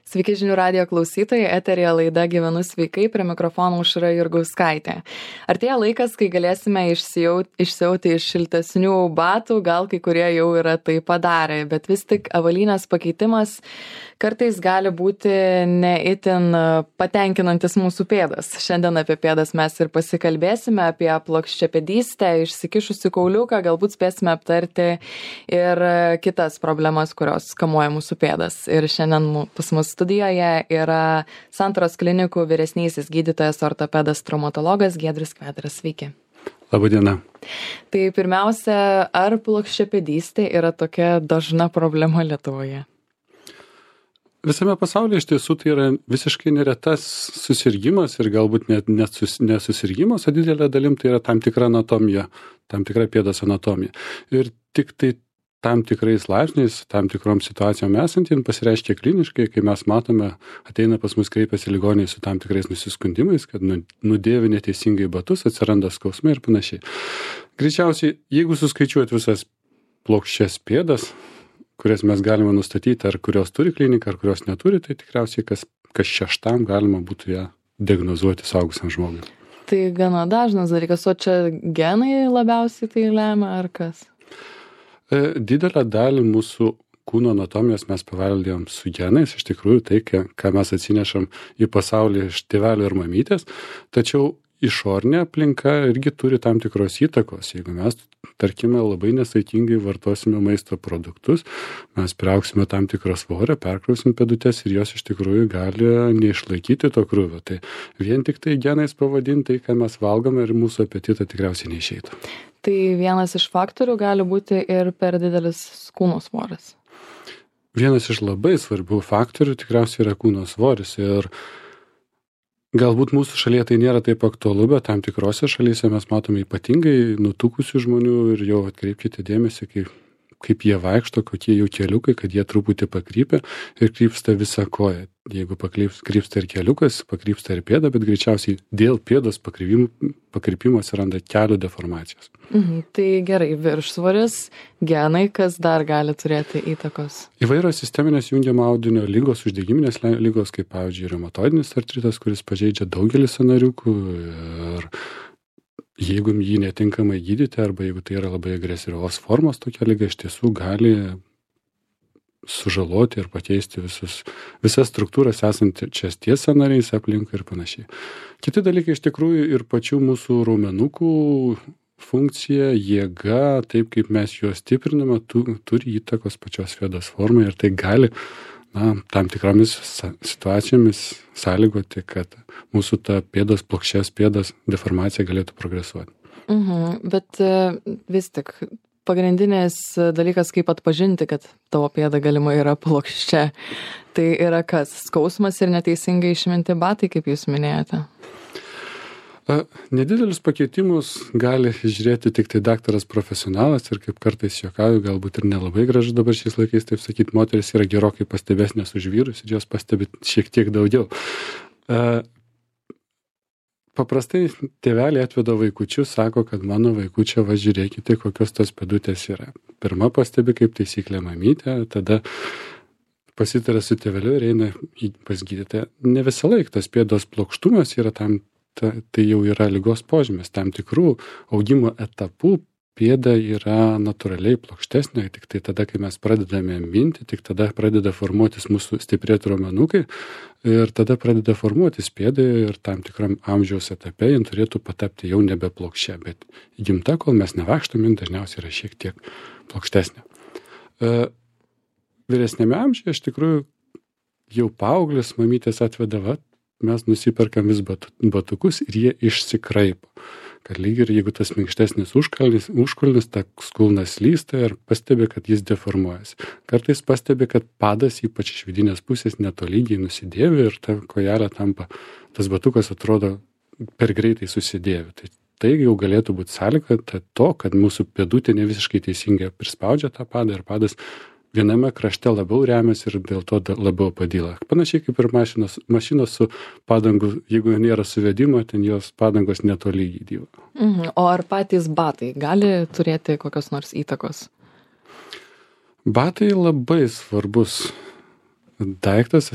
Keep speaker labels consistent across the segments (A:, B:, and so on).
A: Sveiki žinių radijo klausytojai, eterija laida Gyvenu sveikai, prie mikrofono Aušra Jurgauskaitė. Artėja laikas, kai galėsime išsiauti iš šiltesnių batų, gal kai kurie jau yra tai padarę, bet vis tik avalynės pakeitimas kartais gali būti ne itin patenkinantis mūsų pėdas. Šiandien apie pėdas mes ir pasikalbėsime, apie plokščiapėdystę, išsikišusi kauliuką, galbūt spėsime aptarti ir kitas problemas, kurios kamuoja mūsų pėdas. Ir šiandien pas mus studijoje yra Santaros klinikų vyresnysis gydytojas ortopedas traumatologas Giedrius Kvedaras. Sveiki.
B: Labadiena.
A: Tai pirmiausia, ar plokščiapėdystė yra tokia dažna problema Lietuvoje?
B: Visame pasaulyje iš tiesų tai yra visiškai neretas susirgymas ir galbūt net nesusirgymas, o didelė dalim tai yra tam tikra anatomija, tam tikra pėdos anatomija. Ir tik tai tam tikrais laipsniais, tam tikrom situacijom esantiem pasireiškia kliniškai, kai mes matome, ateina pas mus kreipiasi ligoniai su tam tikrais nusiskundimais, kad nudėvi neteisingai batus, atsiranda skausmai ir panašiai. Greičiausiai, jeigu suskaičiuot visas plokščias pėdas, kurias mes galime nustatyti, ar kurios turi klinika, ar kurios neturi, tai tikriausiai kas šeštam galima būtų ją diagnozuoti suaugusiam žmogui.
A: Tai gana dažnas dalykas, o čia genai labiausiai tai lemia, ar kas?
B: Didelę dalį mūsų kūno anatomijos mes paveldėjom su genais, iš tikrųjų tai, ką mes atsinešam į pasaulį iš tėvelio ir mamytės, tačiau išorinė aplinka irgi turi tam tikros įtakos. Jeigu mes, tarkime, labai nesaikingai vartosime maisto produktus, mes priaugsime tam tikrą svorį, perkrausim pėdutes ir jos iš tikrųjų gali neišlaikyti to krūvio. Tai vien tik tai genais pavadinti tai, ką mes valgome ir mūsų apetitą tikriausiai neišeitų.
A: Tai vienas iš faktorių gali būti ir per didelis kūno svoris.
B: Vienas iš labai svarbių faktorių tikriausiai yra kūno svoris ir galbūt mūsų šalyje tai nėra taip aktualu, bet tam tikrose šalyse mes matome ypatingai nutukusių žmonių ir jau atkreipkite dėmesį, kaip jie vaikšto, kokie jų keliukai, kad jie truputį pakrypia ir krypsta visą koją. Jeigu krypsta ir keliukas, pakrypsta ir pėda, bet greičiausiai dėl pėdos pakrypimo atsiranda kelių deformacijos.
A: Tai gerai, viršsvoris, genai, kas dar gali turėti įtakos?
B: Įvairios sisteminės jungiamo audinio lygos, uždegiminės lygos, kaip pavyzdžiui reumatoidinis artritas, kuris pažeidžia daugelį sąnariukų ir jeigu jį netinkamai gydyti arba jeigu tai yra labai agresyvios formos, tokia liga iš tiesų gali sužaloti ir pakeisti visas struktūras esančias ties sąnariais aplinkui ir panašiai. Kiti dalykai iš tikrųjų ir pačių mūsų raumenukų funkcija, jėga, taip kaip mes juos stipriname, turi įtakos pačios pėdos formai ir tai gali tam tikromis situacijomis sąlygoti, kad mūsų ta plokščias pėdos deformacija galėtų progresuoti.
A: Bet vis tik pagrindinis dalykas, kaip atpažinti, kad tavo pėda galimai yra plokščia, tai yra kas? Skausmas ir neteisingai išminti batai, kaip jūs minėjote?
B: Nedidelius pakeitimus gali žiūrėti tik tai daktaras profesionalas ir kaip kartais juokauju, galbūt ir nelabai gražu dabar šiais laikais, taip sakyti, moteris yra gerokai pastebesnės už vyrus ir jos pastebi šiek tiek daugiau. Paprastai tėveliai atveda vaikučius, sako, kad mano vaikučio, žiūrėkite, kokios tos pėdutės yra. Pirma pastebi kaip taisyklė mamytė, tada pasitaria su tėveliu ir eina pas gydytoją. Ne visą laiką tas pėdos plokštumas yra tai jau yra ligos požymis. Tam tikrų augimo etapų pėda yra natūraliai plokštesnė, tik tai tada, kai mes pradedame minti, tik tada pradeda formuotis mūsų stiprėti raumenukai ir tada pradeda formuotis pėda ir tam tikram amžiaus etape jin turėtų patapti jau nebe plokščia, bet įgimta, kol mes nevaikštom, jin dažniausiai yra šiek tiek plokštesnė. Vyresnėme amžiuje iš tikrųjų jau paauglius mamytės atveda, mes nusiperkam vis batukus ir jie išsikraipo. Kad lyg ir jeigu tas minkštesnis užkulnis, ta kulnas slysta ir pastebi, kad jis deformuojasi. Kartais pastebi, kad padas ypač iš vidinės pusės netolygiai nusidėvi ir ta kojelė tampa, tas batukas atrodo per greitai susidėvi. Tai jau galėtų būti sąlyga to, kad mūsų pėdutė ne visiškai teisingai prispaudžia tą padą ir padas viename krašte labiau remiasi ir dėl to labiau padyla. Panašiai kaip ir mašinos su padangu, jeigu nėra suvedimo, ten jos padangos netolygiai dyla.
A: O ar patys batai gali turėti kokios nors įtakos?
B: Batai labai svarbus daiktas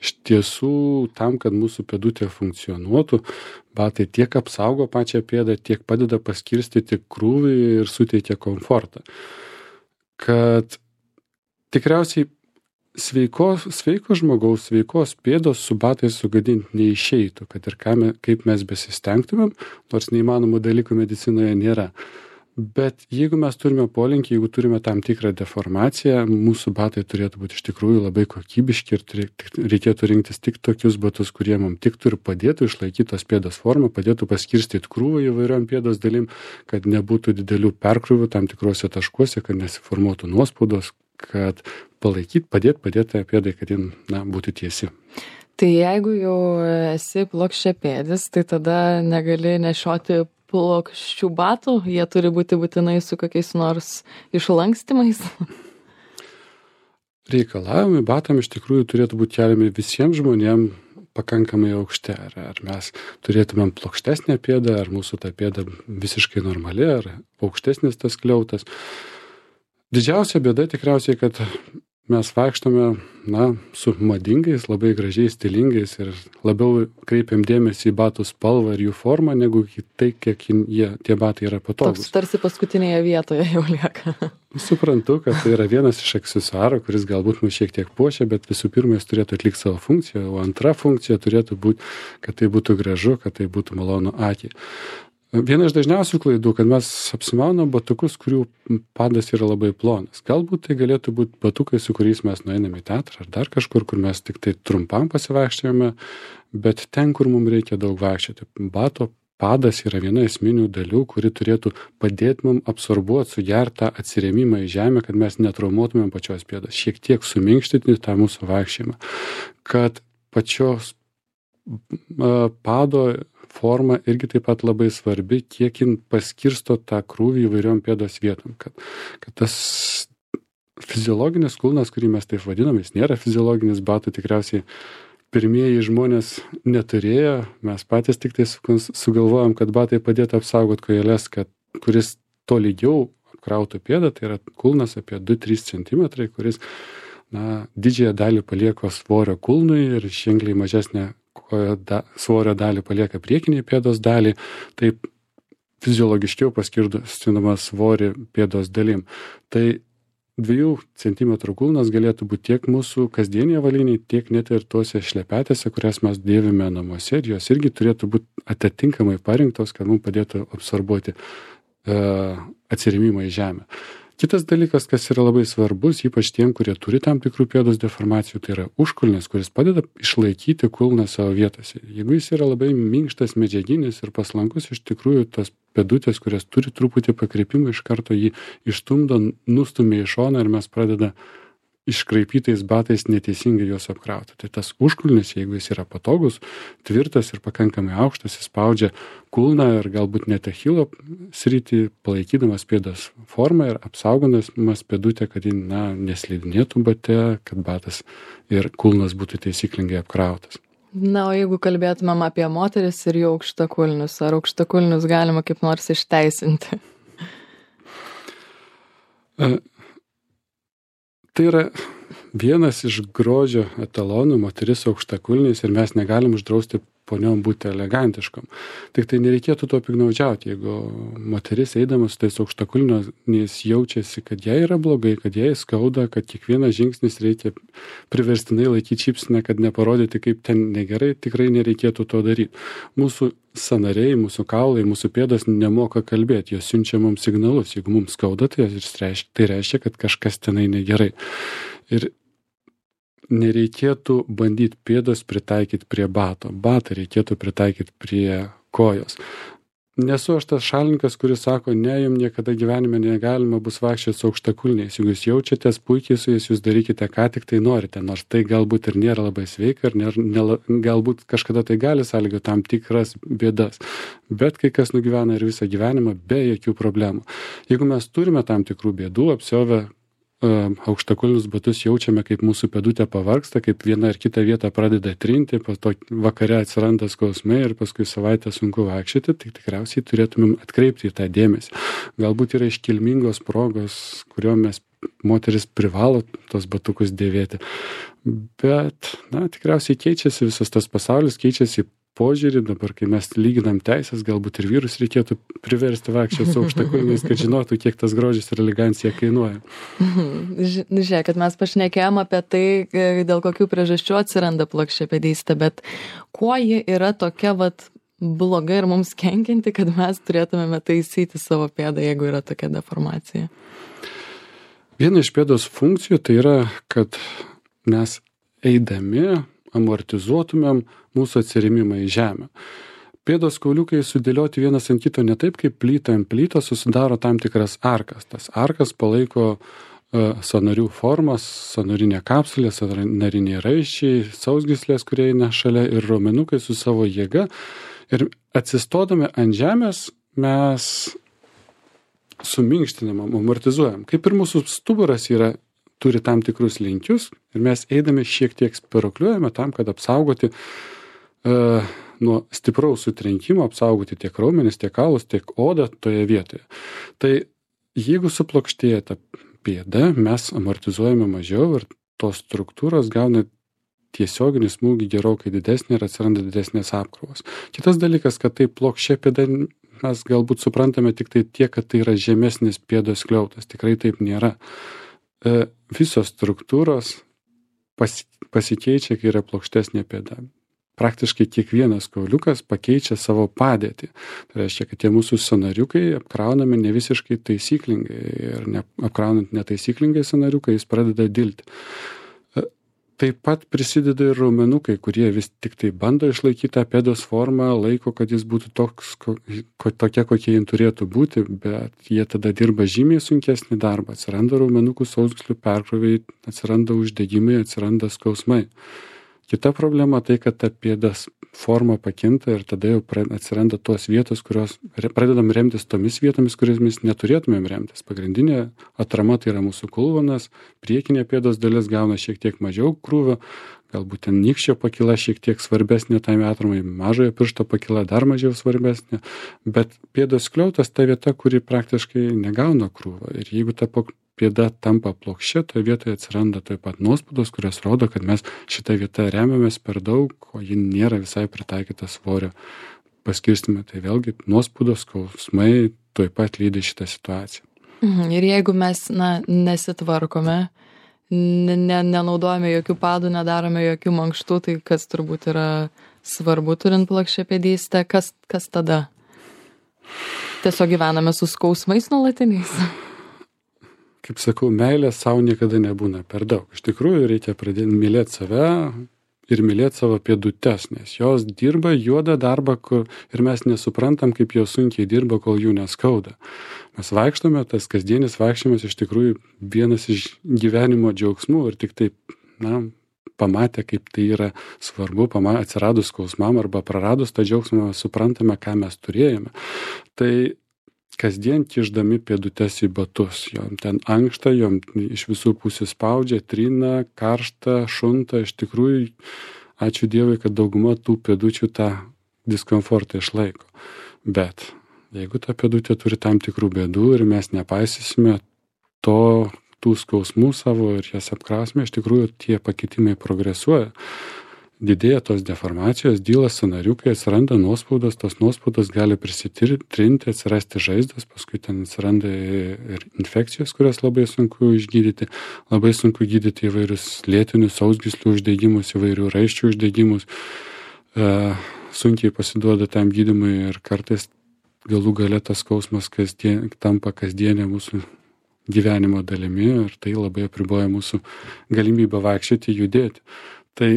B: Iš tiesų, tam, kad mūsų pėdutė funkcionuotų, batai tiek apsaugo pačią pėdą, tiek padeda paskirstyti krūvį ir suteikia komfortą. Kad tikriausiai sveiko žmogaus, sveikos pėdos su batais sugadinti neišeitų, kad ir kaip mes besistengtumėm, nors neįmanomų dalykų medicinoje nėra. Bet jeigu mes turime polinkį, jeigu turime tam tikrą deformaciją, mūsų batai turėtų būti iš tikrųjų labai kokybiški ir reikėtų rinktis tik tokius batus, kurie mums tiktų ir padėtų išlaikyti tos pėdos formą, padėtų paskirstyti krūvą įvairiom pėdos dalim, kad nebūtų didelių perkrūvių tam tikrose taškuose, kad nesiformuotų nuospaudos, kad padėti pėdai, kad jin būtų tiesi.
A: Tai jeigu jau esi plokščiapėdis, tai tada negali nešioti plokščių batų, jie turi būti būtinai su kokiais nors išlankstimais?
B: Reikalavimai batam iš tikrųjų turėtų būti keliami visiems žmonėms pakankamai aukšti. Ar mes turėtumėm plokštesnę pėdą, ar mūsų ta pėda visiškai normali, ar aukštesnis tas skliautas. Didžiausia bėda tikriausiai, kad mes vaikštome, su madingais, labai gražiais, stilingais ir labiau kreipiam dėmesį į batų spalvą ir jų formą, negu į tai, kiek tie batai yra patogus.
A: Toks tarsi paskutinėje vietoje jau lieka.
B: Suprantu, kad tai yra vienas iš aksesuarų, kuris galbūt mus šiek tiek puošia, bet visų pirma, jis turėtų atlikti savo funkciją, o antra funkcija turėtų būti, kad tai būtų gražu, kad tai būtų malonu akiai. Viena iš dažniausių klaidų, kad mes apsimaunam batukus, kurių padas yra labai plonas. Galbūt tai galėtų būti batukai, su kuriais mes nueiname į teatrą ar dar kažkur, kur mes tik tai trumpam pasivaikščiojame, bet ten, kur mums reikia daug vaikščioti. Bato padas yra viena esminių dalių, kuri turėtų padėti mums absorbuoti, sugerti tą atsirėmimą į žemę, kad mes netraumuotumėm pačios pėdos, šiek tiek suminkštyti tą mūsų vaikščiojimą, kad pačios pado forma irgi taip pat labai svarbi, kiek jin paskirsto tą krūvį įvairiom pėdos vietom, kad tas fiziologinis kulnas, kurį mes taip vadinam, jis nėra fiziologinis, batų tikriausiai pirmieji žmonės neturėjo, mes patys tik tai sugalvojom, kad batai padėtų apsaugoti kojeles, kuris tolygiau apkrautų pėdą, tai yra kulnas apie 2-3 cm, kuris didžiąją dalį palieka svorio kulnui ir ženkliai mažesnę svorio dalį palieka priekiniai pėdos dalį, taip fiziologiškiau paskirstinama svorį pėdos dalim. Tai 2 cm kulnas galėtų būti tiek mūsų kasdienėje avalynėje, tiek net ir tose šlepetėse, kurias mes dėvime namuose, ir jos irgi turėtų būti atitinkamai parinktos, kad mums padėtų absorbuoti atsirėmimą į žemę. Kitas dalykas, kas yra labai svarbus, ypač tiem, kurie turi tam tikrų pėdos deformacijų, tai yra užkulnis, kuris padeda išlaikyti kulną savo vietose. Jeigu jis yra labai minkštas, medžiaginis ir paslankus, iš tikrųjų tos pėdutės, kurias turi truputį pakreipimą, iš karto jį išstumdo, nustumia į šoną ir mes pradeda iškraipytais batais neteisingai juos apkrauti. Tai tas užkulnis, jeigu jis yra patogus, tvirtas ir pakankamai aukštas, jis spaudžia kulną ir galbūt net achilo sritį, palaikydamas pėdos formą ir apsaugodamas pėdutę, kad ji neslidinėtų bate, kad batas ir kulnas būtų taisyklingai apkrautas.
A: O jeigu kalbėtumėm apie moteris ir jų aukštakulnius, ar aukštakulnius galima kaip nors išteisinti?
B: Tai yra vienas iš grožio etalonų, moteris aukštakulniais, ir mes negalim uždrausti poniom būti elegantiškom. Tik tai nereikėtų to piktnaudžiauti, jeigu moteris eidamas su tais aukštakulniais jaučiasi, kad jai yra blogai, kad jai skauda, kad kiekvienas žingsnis reikia priverstinai laikyti šypseną, kad neparodyti, kaip ten negerai, tikrai nereikėtų to daryti. Mūsų sąnariai, mūsų kaulai, mūsų pėdos nemoka kalbėti, jos siunčia mums signalus. Jeigu mums skauda, tai reiškia, kad kažkas tenai negerai. Ir nereikėtų bandyti pėdos pritaikyti prie bato. Batą reikėtų pritaikyti prie kojos. Nesu aš tas šalininkas, kuris sako, ne, jums niekada gyvenime negalima bus vaikščioti su aukštakulniais. Jeigu jūs jaučiatės puikiai su jais, jūs darykite, ką tik tai norite. Nors tai galbūt ir nėra labai sveika, ir galbūt kažkada tai gali sąlygoti tam tikras bėdas. Bet kai kas nugyvena ir visą gyvenimą be jokių problemų. Jeigu mes turime tam tikrų bėdų, apsiovę aukštakulnius batus jaučiame, kaip mūsų pėdutė pavargsta, kaip viena ar kita vieta pradeda trinti, po to vakare atsiranda skausmai ir paskui savaitę sunku vaikščioti, tai tikriausiai turėtumėm atkreipti į tą dėmesį. Galbūt yra iškilmingos progos, kuriuo mes moteris privalo tos batukus dėvėti. Bet, tikriausiai keičiasi visas tas pasaulis, keičiasi požiūrį. Dabar, kai mes lyginam teisės, galbūt ir vyrus reikėtų priversti vaikščioti su aukštakulniais, kad žinotų, kiek tas grožis ir elegancija kainuoja.
A: Žiūrėk, kad mes pašnekėjom apie tai, dėl kokių priežasčių atsiranda plokščiapėdystė, bet kuo ji yra tokia bloga ir mums kenkianti, kad mes turėtumėme taisyti savo pėdą, jeigu yra tokia deformacija?
B: Viena iš pėdos funkcijų tai yra, kad mes eidami amortizuotumėm mūsų atsirėmimą į žemę. Pėdos kauliukai sudėlioti vienas ant kito ne taip, kaip plyta ant plytos susidaro tam tikras arkas. Tas arkas palaiko sąnarių formas, sąnarinė kapsulė, sąnariniai raiščiai, sausgyslės, kurie eina šalia ir raumenukai su savo jėga. Ir atsistodami ant žemės mes suminkštinam, amortizuojam. Kaip ir mūsų stuburas turi tam tikrus linkius ir mes eidami šiek tiek spiruokliuojame tam, kad apsaugoti nuo stipraus sutrenkimo, apsaugoti tiek raumenis, tiek kaulus, tiek odą toje vietoje. Tai jeigu suplokštėja ta pėda, mes amortizuojame mažiau ir tos struktūros gauna tiesioginį smūgį gerokai didesnį ir atsiranda didesnės apkrovos. Kitas dalykas, kad tai plokščia pėda mes galbūt suprantame tik tai tiek, kad tai yra žemesnis pėdos skliautas. Tikrai taip nėra. Visos struktūros pasikeičia, kai yra plokštesnė pėda. Praktiškai kiekvienas kauliukas pakeičia savo padėtį. Tai reiškia, kad tie mūsų sąnariukai apkraunami ne visiškai taisyklingai ir apkraunant netaisyklingai sąnariukai, jis pradeda dilti. Taip pat prisideda ir raumenukai, kurie vis tik tai bando išlaikyti tą pėdos formą, laiko, kad jis būtų tokia, kokie jin turėtų būti, bet jie tada dirba žymiai sunkesnį darbą. Atsiranda raumenukų sausgyslių perkroviai, atsiranda uždegimai, atsiranda skausmai. Kita problema tai, kad ta pėdos forma pakinta ir tada jau atsiranda tos vietos, kurios pradedam remtis tomis vietomis, kuriamis neturėtumėm remtis. Pagrindinė atrama tai yra mūsų kulvonas, priekinė pėdos dalis gauna šiek tiek mažiau krūvio, galbūt ten nykščio pakyla šiek tiek svarbesnė tai atramai, mažojo piršto pakyla dar mažiau svarbesnė, bet pėdos skliautas ta vieta, kuri praktiškai negauna krūvio. Ir jeigu ta pėda tampa plokščia, toje vietoje atsiranda taip pat nuospaudos, kurios rodo, kad mes šitą vietą remiamės per daug, o ji nėra visai pritaikyta svorio paskirstymui. Tai vėlgi nuospaudos, skausmai taip pat lydi šitą situaciją.
A: Ir jeigu mes nesitvarkome, nenaudojame jokių padų, nedarome jokių mankštų, tai kas turbūt yra svarbu turint plokščiapėdystę, kas tada? Tiesiog gyvename su skausmais nuolatiniais?
B: Kaip sakau, meilės savo niekada nebūna per daug. Iš tikrųjų, reikia pradėti mylėti save ir mylėti savo pėdutes, nes jos dirba juodą darbą ir mes nesuprantam, kaip jos sunkiai dirba, kol jų neskauda. Mes vaikštome, tas kasdienis vaikščiojimas iš tikrųjų vienas iš gyvenimo džiaugsmų ir tik taip, pamatę, kaip tai yra svarbu, atsiradus skausmam arba praradus tą džiaugsmą, suprantame, ką mes turėjome. Tai kasdien kišdami pėdutes į batus. Jom ten ankšta, jom iš visų pusių spaudžia, trina, karšta, šunta. Iš tikrųjų, ačiū Dievui, kad dauguma tų pėdučių tą diskomfortą išlaiko. Bet jeigu ta pėdutė turi tam tikrų bėdų ir mes nepaisysime tų skausmų savo ir jas apkrausime, iš tikrųjų tie pakitimai progresuoja. Didėja tos deformacijos, dyla sąnariukai, atsiranda nuospaudos, tos nuospaudos gali prisitrinti, atsirasti žaizdos, paskui ten atsiranda ir infekcijos, kurias labai sunku išgydyti, labai sunku gydyti įvairius lėtinius sausgyslių uždegimus, įvairių raiščių uždegimus, sunkiai pasiduoda tam gydymui ir kartais galų gale tas skausmas tampa kasdienė mūsų gyvenimo dalimi ir tai labai apriboja mūsų galimybę vaikščioti, judėti. Tai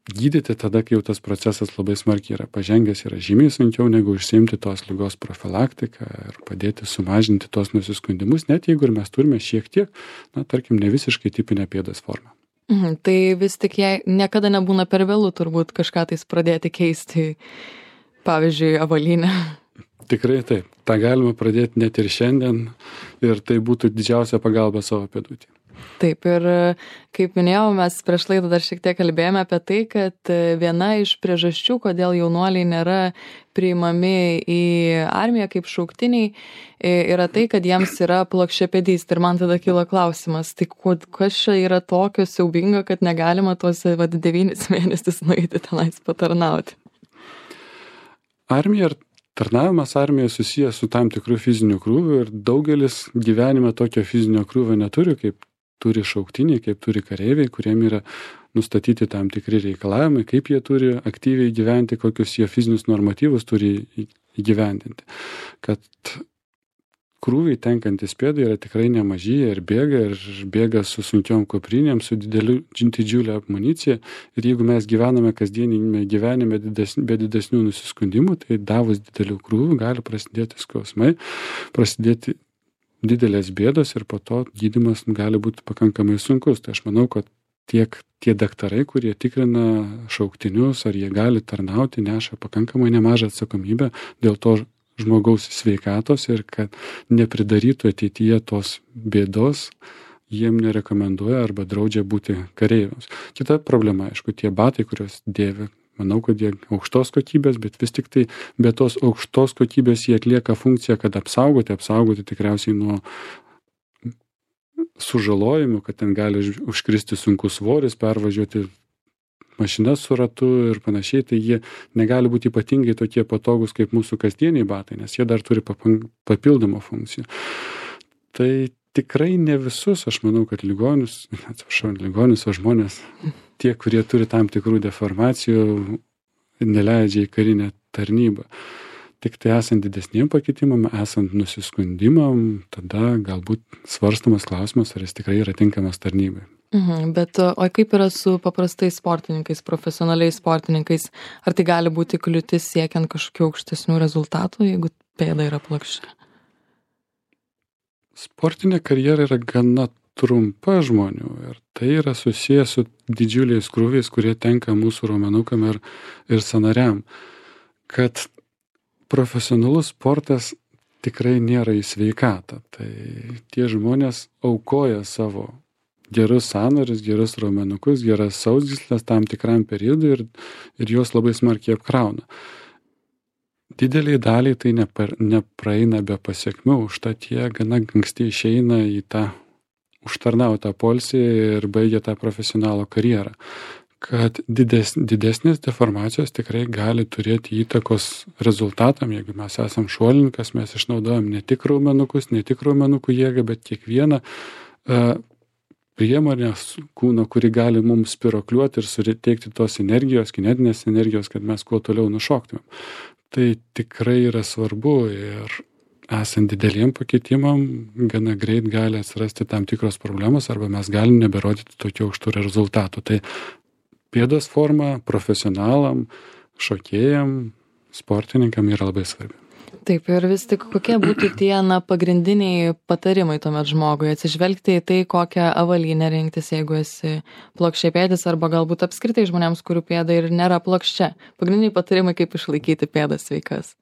B: gydyti tada, kai jau tas procesas labai smarkiai yra pažengęs, yra žymiai sunkiau negu užsiimti tos ligos profilaktiką ir padėti sumažinti tos nusiskundimus, net jeigu ir mes turime šiek tiek, tarkim, ne visiškai tipinę pėdos formą.
A: Tai vis tik jei niekada nebūna per vėlu turbūt kažką tais pradėti keisti, pavyzdžiui, avalynę.
B: Tikrai taip. Ta galima pradėti net ir šiandien ir tai būtų didžiausia pagalba savo pėdutė.
A: Taip, ir kaip minėjau, mes prieš laidą dar šiek tiek kalbėjome apie tai, kad viena iš priežasčių, kodėl jaunuoliai nėra priimami į armiją kaip šauktiniai, yra tai, kad jiems yra plokščiapėdystė. Ir man tada kilo klausimas, tai kas čia yra tokio siaubingo, kad negalima tuos 9 mėnesius nueiti tenais patarnauti?
B: Armija ir tarnavimas armijoje susijęs su tam tikru fiziniu krūviu ir daugelis gyvenime tokio fizinio krūvio neturi, kaip turi šauktiniai, kaip turi kareiviai, kuriem yra nustatyti tam tikri reikalavimai, kaip jie turi aktyviai gyventi, kokius jie fizinius normatyvus turi įgyvendinti. Kad krūviai tenkantys pėdai yra tikrai nemaži ir bėga su sunkiom kuprinėm, su didžiulė amunicija. Ir jeigu mes gyvename kasdienime gyvenime be didesnių nusiskundimų, tai davus didelių krūvių gali prasidėti skausmai, prasidėti didelės bėdos ir po to gydymas gali būti pakankamai sunkus. Tai aš manau, kad tiek tie daktarai, kurie tikrina šauktinius, ar jie gali tarnauti, neša pakankamai nemažą atsakomybę dėl to žmogaus sveikatos ir kad nepridarytų ateityje tos bėdos, jiem nerekomenduoja arba draudžia būti kareiviams. Kita problema, aišku, tie batai, kuriuos dėvi, manau, kad jie aukštos kokybės, bet vis tik tai be tos aukštos kokybės jie atlieka funkciją, kad apsaugoti tikriausiai nuo sužalojimų, kad ten gali užkristi sunkus svoris, pervažiuoti mašinas su ratu ir panašiai, tai jie negali būti ypatingai tokie patogus kaip mūsų kasdieniai batai, nes jie dar turi papildomą funkciją. Tai tikrai ne visus, aš manau, kad ligonius, o žmonės, tie, kurie turi tam tikrų deformacijų, neleidžia į karinę tarnybą. Tik tai esant didesniem pakitimam, esant nusiskundimam, tada galbūt svarstamas klausimas, ar jis tikrai yra tinkamas tarnybai.
A: Bet o kaip yra su paprastais sportininkais, profesionaliais sportininkais? Ar tai gali būti kliūtis siekiant kažkokių aukštesnių rezultatų, jeigu pėda yra plokščia?
B: Sportinė karjera yra gana trumpa žmonių ir tai yra susijęs su didžiuliais krūviais, kurie tenka mūsų raumenukam ir sąnariam. Kad profesionalus sportas tikrai nėra į sveikatą. Tai tie žmonės aukoja savo gerus sąnarius, gerus raumenukus, geras sausgyslės tam tikram periodui ir juos labai smarkiai apkrauna. Dideliai daliai tai nepraeina be pasiekmių, užtat jie gana anksti išeina į tą užtarnautą poilsį ir baigia tą profesionalo karjerą. Kad didesnės deformacijos tikrai gali turėti įtakos rezultatam, jeigu mes esam šuolininkas, mes išnaudojam ne tik raumenukus, ne tik raumenukų jėgą, bet kiekvieną priemonės kūno, kuri gali mums spirokliuoti ir suteikti tos energijos, kinetinės energijos, kad mes kuo toliau nušoktumėm. Tai tikrai yra svarbu ir esant dideliem pakitimam, gana greit gali atsirasti tam tikros problemos arba mes galim neberodyti tokių aukštų rezultatų. Tai pėdos forma profesionalam, šokėjam, sportininkam yra labai svarbi.
A: Taip, ir vis tik kokie būtų tie pagrindiniai patarimai tuomet žmogui atsižvelgti į tai, kokią avalynę rinktis, jeigu esi plokščiapėdis arba galbūt apskritai žmonėms, kurių pėda ir nėra plokščia. Pagrindiniai patarimai, kaip išlaikyti pėdas sveikas.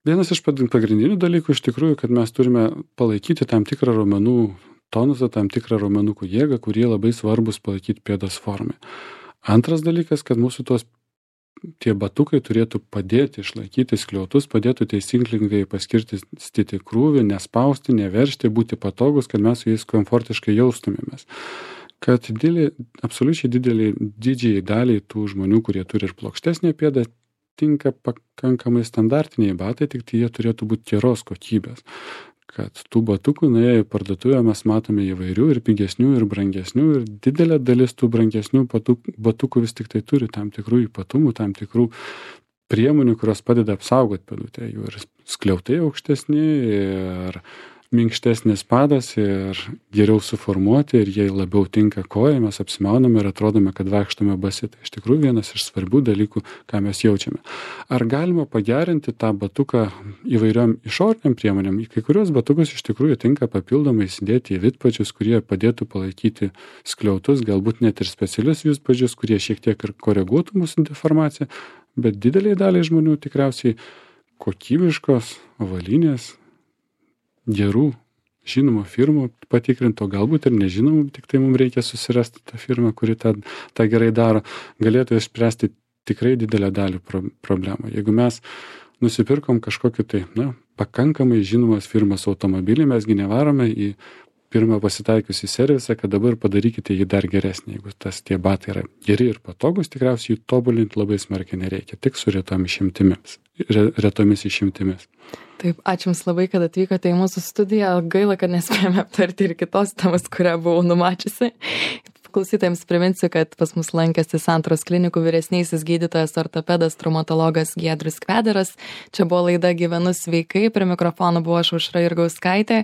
B: Vienas iš pagrindinių dalykų iš tikrųjų, kad mes turime palaikyti tam tikrą raumenų tonusą, tam tikrą raumenukų jėgą, kurie labai svarbus palaikyti pėdos formai. Antras dalykas, kad mūsų tie batukai turėtų padėti išlaikyti skliautus, padėtų teisingai paskirstyti krūvį, nespausti, neveržti, būti patogus, kad mes su jais komfortiškai jaustumėmės. Kad absoliučiai didžiai daliai tų žmonių, kurie turi ir plokštesnę pėdą, tinka pakankamai standartiniai batai, tik tai jie turėtų būti geros kokybės. Kad tų batukų nuėję į parduotuvę mes matome įvairių ir pigesnių ir brangesnių ir didelė dalis tų brangesnių batukų vis tik tai turi tam tikrų ypatumų, tam tikrų priemonių, kurios padeda apsaugoti pėdutę. Jų ir skliautai aukštesni, ir minkštesnis padas, ir geriau suformuoti, ir jie labiau tinka kojai, mes apsimauname ir atrodome, kad vaikštome basi. Tai iš tikrųjų vienas iš svarbių dalykų, ką mes jaučiame. Ar galima pagerinti tą batuką įvairiom išoriniam priemonėm? Į kai kurios batukus iš tikrųjų tinka papildomai įsidėti į vidpadžius, kurie padėtų palaikyti skliautus, galbūt net ir specialius vidpadžius, kurie šiek tiek ir koreguotų mūsų deformaciją, bet dideliai daliai žmonių tikriausiai kokybiškos avalynės gerų žinomų firmų patikrinti, o galbūt ir nežinomų, tik tai mums reikia susirasti tą firmą, kuri tą gerai daro, galėtų išspręsti tikrai didelę dalį problemų. Jeigu mes nusipirkom kažkokį tai, pakankamai žinomas firmas automobilį, mesgi nevarome į pirmą pasitaikiusį servisą, kad dabar padarykite jį dar geresnį. Jeigu tie batai yra geri ir patogus, tikriausiai jų tobulinti labai smarkiai nereikia, tik su retomis išimtimis.
A: Taip, ačiū Jums labai, kad atvykote į mūsų studiją. Gaila, kad nespėjome aptarti ir kitos temos, kurią buvau numačiusi. Klausytojams priminsiu, kad pas mus lankėsi Santaros klinikų vyresnysis gydytojas ortopedas traumatologas Giedrius Kvedaras. Čia buvo laida Gyvenu sveikai, prie mikrofono buvo aš Aušra Jurgauskaitė.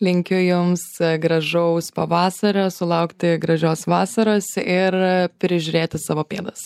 A: Linkiu Jums gražaus pavasario, sulaukti gražios vasaros ir prižiūrėti savo pėdas.